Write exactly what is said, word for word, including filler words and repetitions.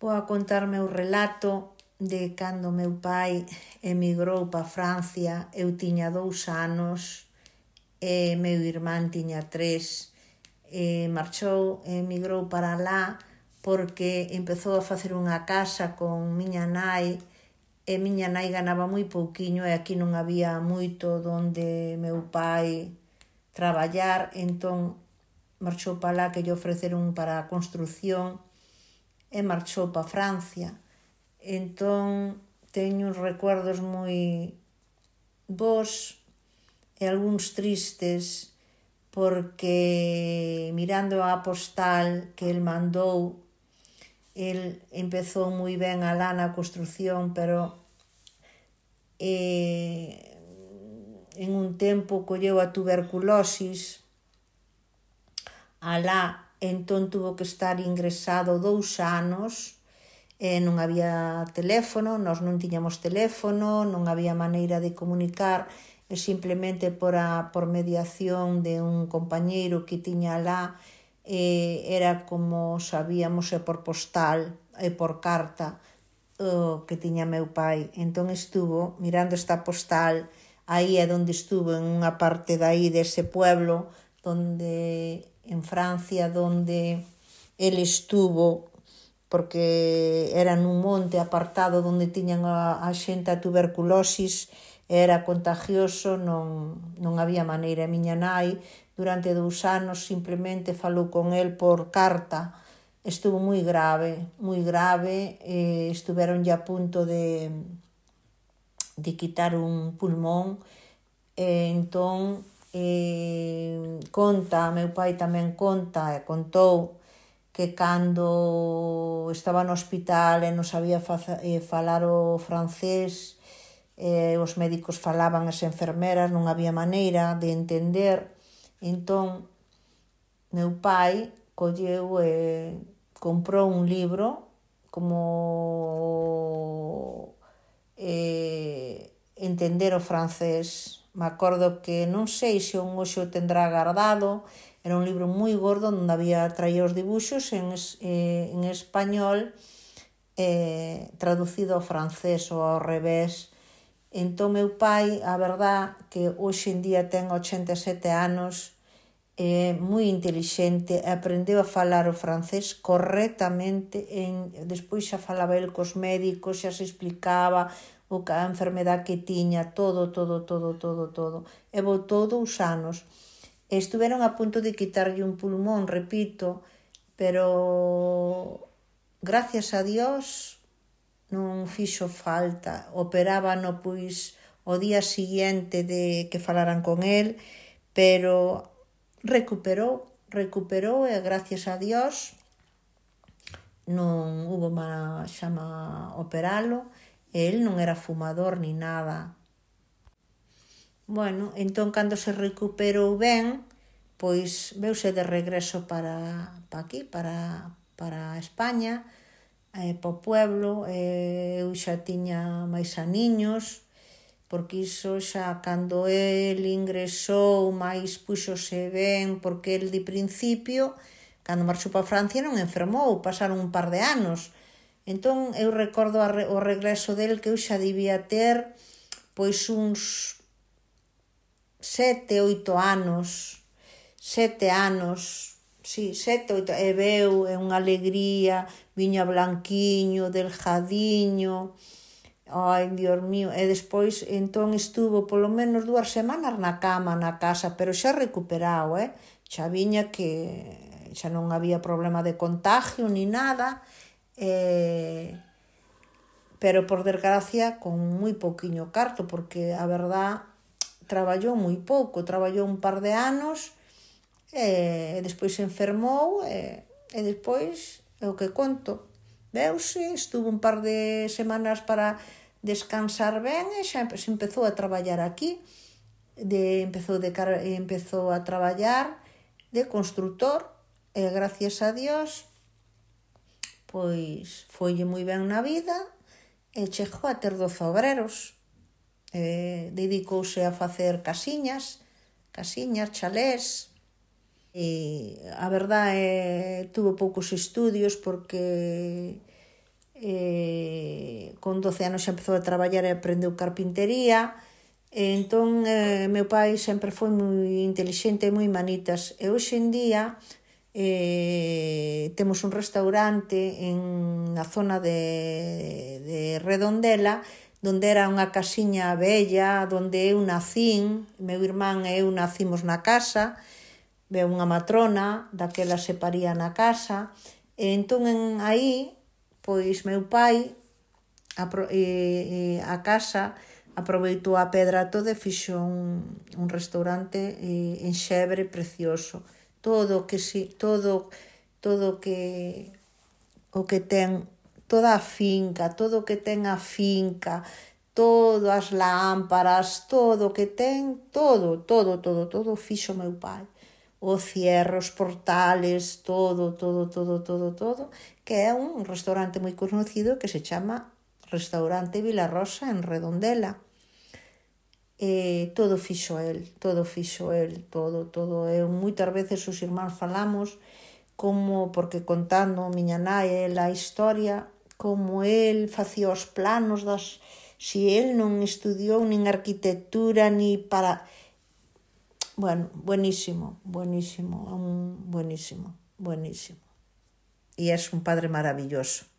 Vou a contar meu relato de cando meu pai emigrou para Francia. Eu tiña dous anos e meu irmán tiña tres. E marchou, emigrou para lá porque empezou a facer unha casa con miña nai e miña nai ganaba moi pouquiño e aquí non había moito donde meu pai traballar, entón marchou para lá que lle ofreceron para a construcción e marchou para Francia. Entón teño uns recuerdos moi bons e algúns tristes porque mirando a postal que el mandou, el empezou moi ben alá na construcción, pero eh, en un tempo colleu a tuberculosis alá, entón tuvo que estar ingresado dous anos e non había teléfono, nós non tiñamos teléfono, non había maneira de comunicar e simplemente por, a, por mediación de un compañeiro que tiña alá eh, era como sabíamos e por postal e por carta o que tiña meu pai. Entón estuvo mirando esta postal, aí é onde estuvo en unha parte de aí dese pueblo donde en Francia, donde el estuvo porque era nun monte apartado donde tiñan a, a xente a tuberculosis, era contagioso, non, non había maneira. A miña nai durante dous anos simplemente falou con el por carta. Estuvo moi grave, moi grave, e estuveron ya a punto de, de quitar un pulmón, e entón eh, conta, meu pai tamén conta e contou que cando estaba no hospital e non sabía faza, eh, falar o francés, eh, os médicos falaban, as enfermeras, non había maneira de entender. Entón meu pai colleu e comprou un libro como eh, entender o francés. Me acordo que non sei se un hoxe o tendrá guardado. Era un libro moi gordo onde había traía os dibuxos en, eh, en español eh, traducido ao francés ou ao revés. Entón meu pai, a verdad que hoxe en día ten ochenta e sete anos, é moi intelixente, aprendeu a falar o francés correctamente, en, despois xa falaba el cos médicos, xa se explicaba o que a enfermedade que tiña, todo, todo, todo, todo, todo. E botou dous anos. Estuveron a punto de quitarlle un pulmón, repito, pero gracias a Dios non fixo falta. Operábano pois o día siguiente de que falaran con el, pero recuperou, recuperou e gracias a Dios non hubo má xama operalo. El non era fumador ni nada. Bueno, entón, cando se recuperou ben, pois veuse de regreso para, para aquí, para, para España, eh, para o pueblo. Eh, eu xa tiña máis aniños, porque iso xa cando el ingresou máis puxose ben, porque el de principio, cando marchou para Francia non enfermou, pasaron un par de anos. Entón eu recordo o regreso del que eu xa debía ter pois uns sete, oito anos, sete anos, sí, sete, oito, e veu, é unha alegría, viña blanquiño, delgadiño, ai, Dios mío, e despois, entón, estuvo polo menos dúas semanas na cama, na casa, pero xa recuperado, eh? Xa viña que xa non había problema de contagio ni nada, eh, pero por desgracia con moi pouquiño carto, porque a verdad traballou moi pouco, traballou un par de anos e, e despois se enfermou e, e despois é o que conto, veuse, estuvo un par de semanas para descansar ben e xa se empezou a traballar aquí, de, empezou, de, empezou a traballar de constructor e gracias a Dios pois foille moi ben na vida e chegou a ter doce obreros. Eh, dedicouse a facer casiñas, casiñas, chalés, e a verdade é tuvo poucos estudios porque eh, con doce anos xa empezou a traballar e aprendeu carpintería. E entón, eh, meu pai sempre foi moi intelixente e moi manitas. E hoxe en día eh, temos un restaurante en na zona de, de Redondela, donde era unha casiña bella, donde eu nacín, meu irmán e eu nacimos na casa, veu unha matrona, daquela se paría na casa, e entón en aí, pois meu pai, a, e, e, a casa, aproveitou a pedra toda e fixo un, un restaurante eh, en Xebre precioso. Todo que si, todo todo que o que ten toda a finca, todo o que ten a finca, todas as lámparas, todo o que ten, todo, todo, todo, todo fixo meu pai. O cierre, os portales, todo, todo, todo, todo, todo, que é un restaurante moi conocido que se chama Restaurante Vilarrosa en Redondela. E todo fixo el, todo fixo el, todo, todo. Eu moitas veces os irmáns falamos como, porque contando miña nai a historia, como el facía os planos das, si el non estudiou nin arquitectura ni para... Bueno, buenísimo, buenísimo, un buenísimo, buenísimo. E é un padre maravilloso.